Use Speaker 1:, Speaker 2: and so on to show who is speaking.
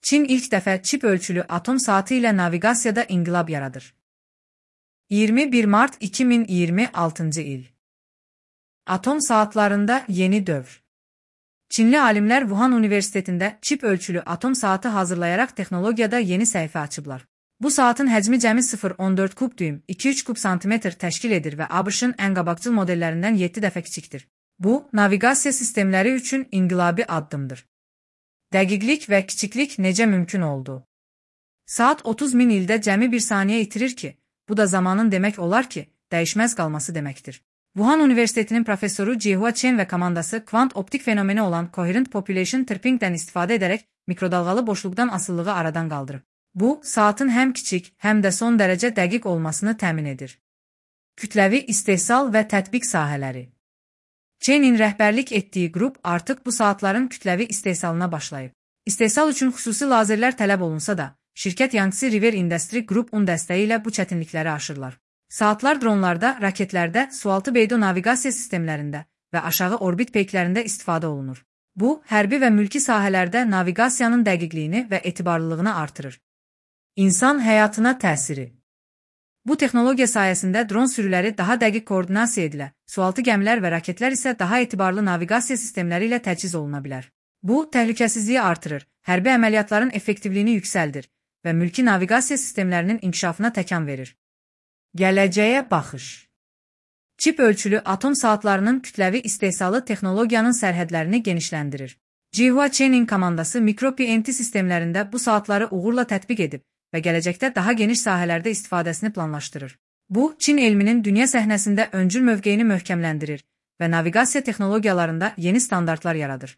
Speaker 1: Çin ilk dəfə çip ölçülü atom saatı ilə naviqasiyada inqilab yaradır. 21 Mart 2026 il. Atom saatlarında yeni dövr. Çinli alimlər Wuhan Universitetində çip ölçülü atom saatı hazırlayaraq texnologiyada yeni səhifə açıblar. Bu saatın həcmi cəmi 0,14 kub düym, 2-3 kub santimetr təşkil edir və ABŞ-ın ən qabaqcıl modellərindən 7 dəfə kiçikdir. Bu, naviqasiya sistemləri üçün inqilabi addımdır. Dəqiqlik və kiçiklik necə mümkün oldu? Saat 30 min ildə cəmi bir saniyə itirir ki, bu da zamanın demək olar ki, dəyişməz qalması deməkdir. Wuhan Universitetinin professoru Jihua Chen və komandası kvant optik fenomeni olan Coherent Population Tripping'dən istifadə edərək mikrodalğalı boşluqdan asılılığı aradan qaldırıb. Bu, saatın həm kiçik, həm də son dərəcə dəqiq olmasını təmin edir. Kütləvi istehsal və tətbiq sahələri. Chen'in rəhbərlik etdiyi qrup artıq bu saatların kütləvi istehsalına başlayıb. İstehsal üçün xüsusi lazerlər tələb olunsa da, şirkət Yangtze River Industry Group-un dəstəyi ilə bu çətinlikləri aşırlar. Saatlar dronlarda, raketlərdə, sualtı beydo naviqasiya sistemlərində və aşağı orbit peyklərində istifadə olunur. Bu, hərbi və mülki sahələrdə naviqasiyanın dəqiqliyini və etibarlılığını artırır. İnsan həyatına təsiri. Bu texnologiya sayəsində dron sürüləri daha dəqiq koordinasiya edilə, sualtı gəmilər və raketlər isə daha etibarlı naviqasiya sistemləri ilə təchiz oluna bilər. Bu, təhlükəsizliyi artırır, hərbi əməliyyatların effektivliyini yüksəldir və mülki naviqasiya sistemlərinin inkişafına təkan verir. Gələcəyə baxış. Çip ölçülü atom saatlarının kütləvi istehsalı texnologiyanın sərhədlərini genişləndirir. Jihua Chen'in komandası mikro-PNT sistemlərində bu saatları uğurla tətbiq edib və gələcəkdə daha geniş sahələrdə istifadəsini planlaşdırır. Bu, Çin elminin dünya səhnəsində öncül mövqeyini möhkəmləndirir və naviqasiya texnologiyalarında yeni standartlar yaradır.